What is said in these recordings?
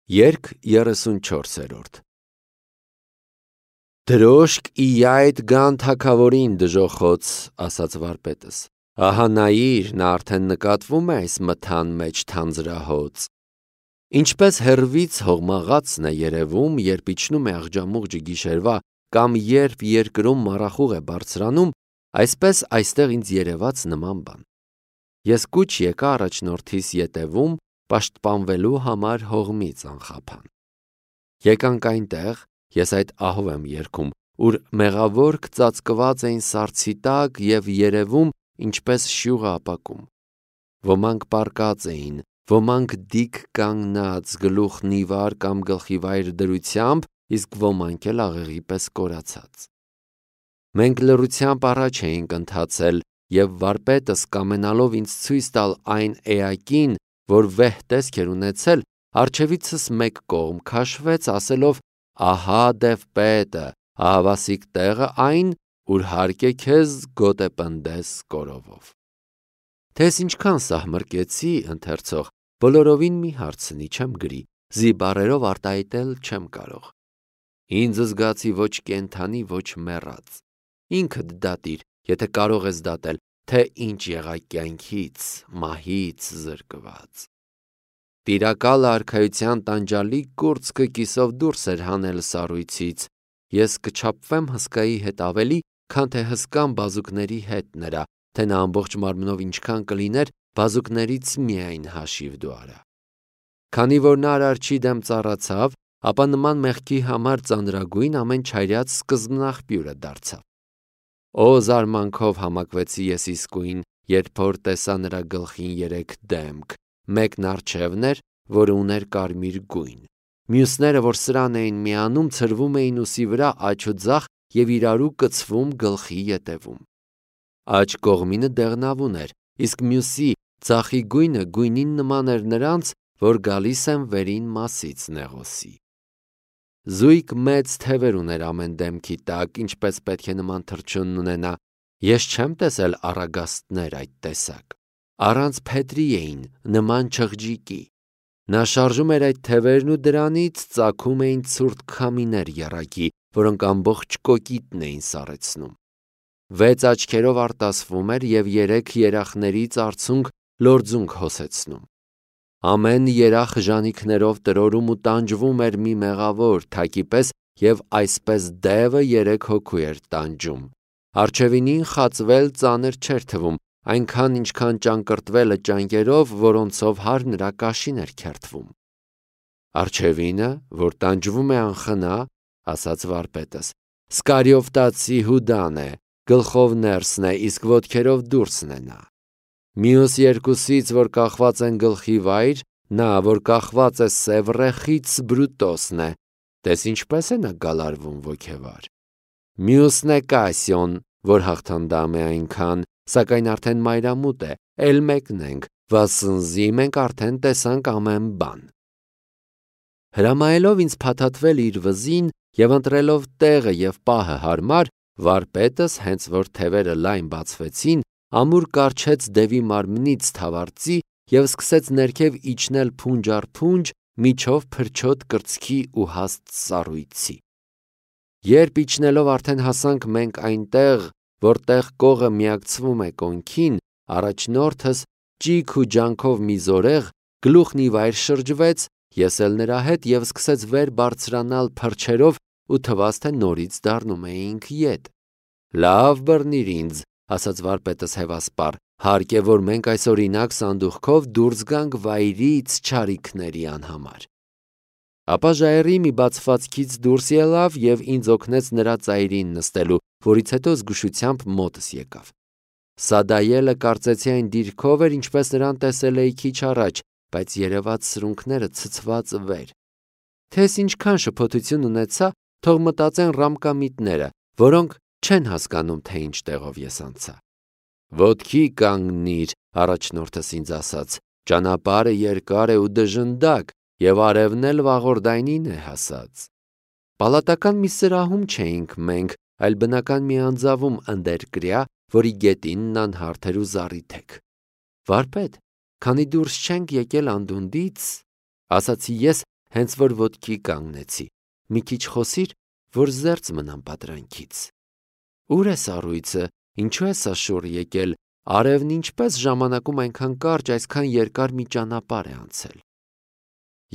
Երգ 34 Դրոշկ իայդ գան թագավորին դժոխոց, ասաց վարպետս, ահա նայիր, նա արդեն նկատվում է այս մթան մեջ թանձրահոծ, ինչպես հեռվից հողմաղացն է երևում, երբ իջնում է աղջամուղջը գիշերվա, կամ երբ երկրում մառախուղ է բարձրանում, այսպես այստեղ ինձ երևաց նման բան, ես կուչ եկա առաջնորդիս ետևում, պաշտպանվելու համար հողմից անխափան, եկանք այնտեղ, ես այդ ահով եմ երգում, ուր մեղավորք ծածկված էին սառցի տակ և երևում, ինչպես շյուղը ապակում, ոմանք պառկած էին, ոմանք դիկ կանգնած, գլուխն ի վար կամ գլխիվայր դրությամբ, իսկ ոմանք էլ աղեղի պես կորացած, մենք լռությամբ առաջ էինք ընթացել և վարպետս կամենալով ինձ ցույց տալ այն էակին, որ վեհ տեսք էր ունեցել, առջևիցս մեկ կողմ քաշվեց, ասելով. Ահա դևպետը, ահավասիկ տեղը այն, ուր հարկ է քեզ գոտե պնդես կորովով։ Թե ես ինչքան սահմռկեցի, ընթերցող, բոլորովին մի հարցնի, չեմ գրի, զի բառերով արտահայտել չեմ կարող։ Ինձ զգացի ոչ կենդանի, ոչ մեռած։ Ինքդ դատիր, եթե կարող ես դատել, թե ինչ եղա կյանքից, մահից զրկված։ Տիրակալ արքայության տանջալիկ կուրծքը կիսով դուրս էր հանել սառույցից, ես կչափվեմ հսկայի հետ ավելի, քան թե հսկան բազուկների հետ նրա, թե նա ամբողջ մարմնով ինչքան կլիներ, բազուկներից միայն հաշիվ դու արա։ Քանի որ նա արարչի դեմ ծառացավ, ապա նման մեղքի համար ծանրագույն ամեն չայրած սկզբնաղբյուրը դարձավ։ Օ զարմանքով համակվեցի ես իսկույն, երբ որ տեսա նրա գլխին 3 դեմք, մեկն առջևն էր, որը ուներ կարմիր գույն, մյուսները, որ սրան էին միանում, ցրվում էին ուսի վրա աջ ու ձախ և իրարու կցվում գլխի ետևում։ Աջ կողմինը դեղնավուն էր, իսկ մյուսի ձախի գույնը գույնին նման էր նրանց, որ գալիս են վերին մասից նեղոսի։ Զույգ մեծ թևեր ուներ ամեն դեմքի տակ, ինչպես պետք է նման թռչուն ունենա, ես չեմ տեսել առագաստներ այդ տեսակ, առանց փետրի էին, նման չղջիկի, նա շարժում էր այդ թևերն ու դրանից ծագում էին ցուրտ քամիներ եռակի, որոնք ամբողջ կոկիտն էին սառեցնում, 6 աչքերով արտասվում էր և 3 երախներից արցունք լորձունք հոսեցնում, ամեն երախ ժանիքներով տրորում ու տանջվում էր մի մեղավոր թակի պես և այսպես դևը 3 հոգու էր տանջում, առջևինին խածվել ծանր չէր թվում, այնքան ինչքան ճանկռտվելը ճանկերով, որոնցով հար նրա կաշին էր քերթվում։ Առջևինը, որ տանջվում է անխնա, ասաց վարպետս, Սկարիովտացի Հուդան է, գլխով ներսն է, իսկ ոտքերով դուրսն է նա։ Մյուս երկուսից, որ կախված են գլխի վայր, նա, որ կախված է Սևռեխից, Բրուտոսն է, տես ինչպես է նա գալարվում ոգևար։ Մյուսն է Կասիոն, որ հաղթանդամ է այնքան, սակայն արդեն մայրամուտ է, էլ մեկն ենք, վասնզի մենք արդեն տեսանք ամեն բան։ Հրամայելով ինձ փաթաթվել իր վզին և ընտրելով տեղը և պահը հարմար, վարպետս, հենց որ թևերը լայն բացվեցին, ամուր կառչեց դևի մարմնից թավարծի և սկսեց ներքև իջնել փունջ առ փունջ, միջով փրչոտ կրծքի ու հաստ սառույցի։ Երբ իջնելով արդեն հասանք մենք այնտեղ, որտեղ կողը միակցվում է կոնքին, առաջնորդս ճիգ ու ջանքով մի զորեղ, գլուխն ի վայր շրջվեց, ես էլ նրա հետ և սկսեց վեր բարձրանալ փրչերով ու թվաց, թե նորից դառնում էինք ետ։ Լավ բռնիր ինձ, ասաց վարպետս հևասպառ, հարկ է, որ մենք այսօրինակ սանդուղքով դուրս գանք վայրից չարիքների անհամար։ Ապա ժայռի մի բացվածքից դուրս ելավ և ինձ օգնեց նրա ծայրին նստելու, որից հետո զգուշությամբ մոտս եկավ։ Սադայելը կարծեցի այն դիրքով էր, ինչպես նրան տեսել էի քիչ առաջ, բայց երևաց սրունքները ցցված վեր։ Թե ես ինչքան շփոթություն ունեցա, թող մտածեն ռամկամիտները, որոնք չեն հասկանում, թե ինչ տեղով ես անցա։ Ոտքի կանգնիր, առաջնորդս ինձ ասաց, ճանապարհը երկար է ու դժնդակ, և արևն էլ վաղորդայնին է հասած։ Պալատական մի սրահում չէինք մենք, այլ բնական մի անձավում ընդերկրյա, որի գետինն անհարթ էր ու զառիթեք։ Վարպետ, քանի դուրս չենք եկել անդունդից, ասացի ես, հենց որ ոտքի կանգնեցի, մի քիչ խոսիր, որ զերծ մնամ պատրանքից։ Ուր է սառույցը, ինչու է սա շուռ եկել, արևն ինչպես ժամանակում այնքան կարճ, այսքան երկար մի ճանապարհ է անցել։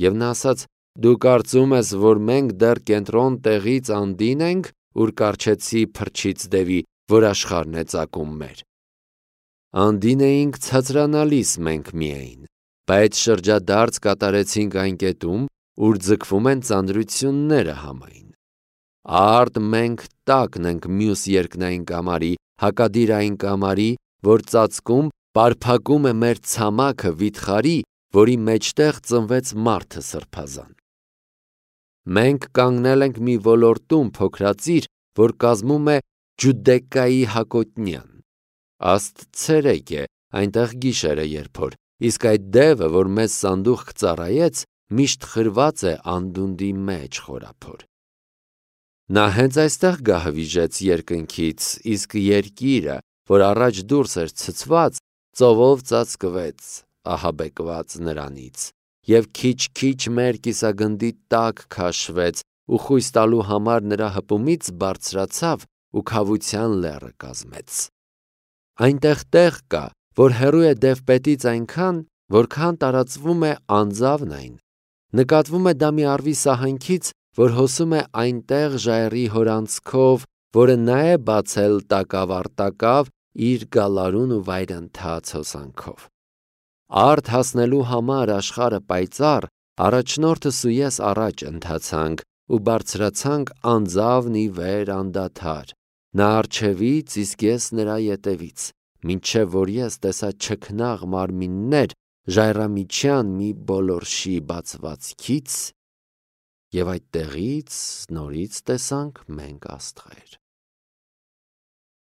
Եվ նա ասաց. դու կարծում ես, որ մենք դեռ կենտրոն տեղից անդին ենք, ուր կառչեցի փրչից դևի, որ աշխարհն է ծակում մեր։ Անդին էինք ցածրանալիս մենք միայն, բայց շրջադարձ կատարեցինք այն կետում, ուր ձգվում են ծանրությունները համայն։ Արդ մենք տակն ենք մյուս երկնային կամարի, հակադիրային կամարի, որ ծածկում, պարփակում է մեր ցամաքը վիթխարի, որի մեջտեղ ծնվեց մարդը սրբազան։ Մենք կանգնել ենք մի ոլորտում փոքրածիր, որ կազմում է Ջուդեկայի հակոտնյան։ Աստծերեկ է, այնտեղ գիշերը երբոր, իսկ այդ դևը, որ մեզ սանդուղք ծառայեց, միշտ խրված է անդունդի մեջ խորափոր։ Նա հենց այստեղ գահվիժեց երկնքից, իսկ երկիրը, որ առաջ դուրս էր ցցված, ծովով ծածկվեց, ահաբեկված նրանից, և քիչ-քիչ մեր կիսագնդի տակ քաշվեց ու խույս տալու համար նրա հպումից բարձրացավ ու քավության լեռը կազմեց։ Այնտեղ տեղ կա, որ հեռու է դևպետից այնքան, որքան տարածվում է անձավն այն։ Նկատվում է դա մի առվի սահանքից, որ հոսում է այնտեղ ժայռի հորանցքով, որը նա է բացել տակավ իր գալարուն ու վայրընթաց հոսանքով։ Արդ հասնելու համար աշխարհը պայծառ, առաջնորդս ու ես առաջ ընթացանք ու բարձրացանք անձավն ի վեր անդադար, նա առջևից, իսկ ես նրա ետևից, մինչև որ ես տեսա չքնաղ մարմիններ ժայռամիջյան մի բոլորշի բացվածքից, և այդտեղից նորից տեսանք մենք աստղեր։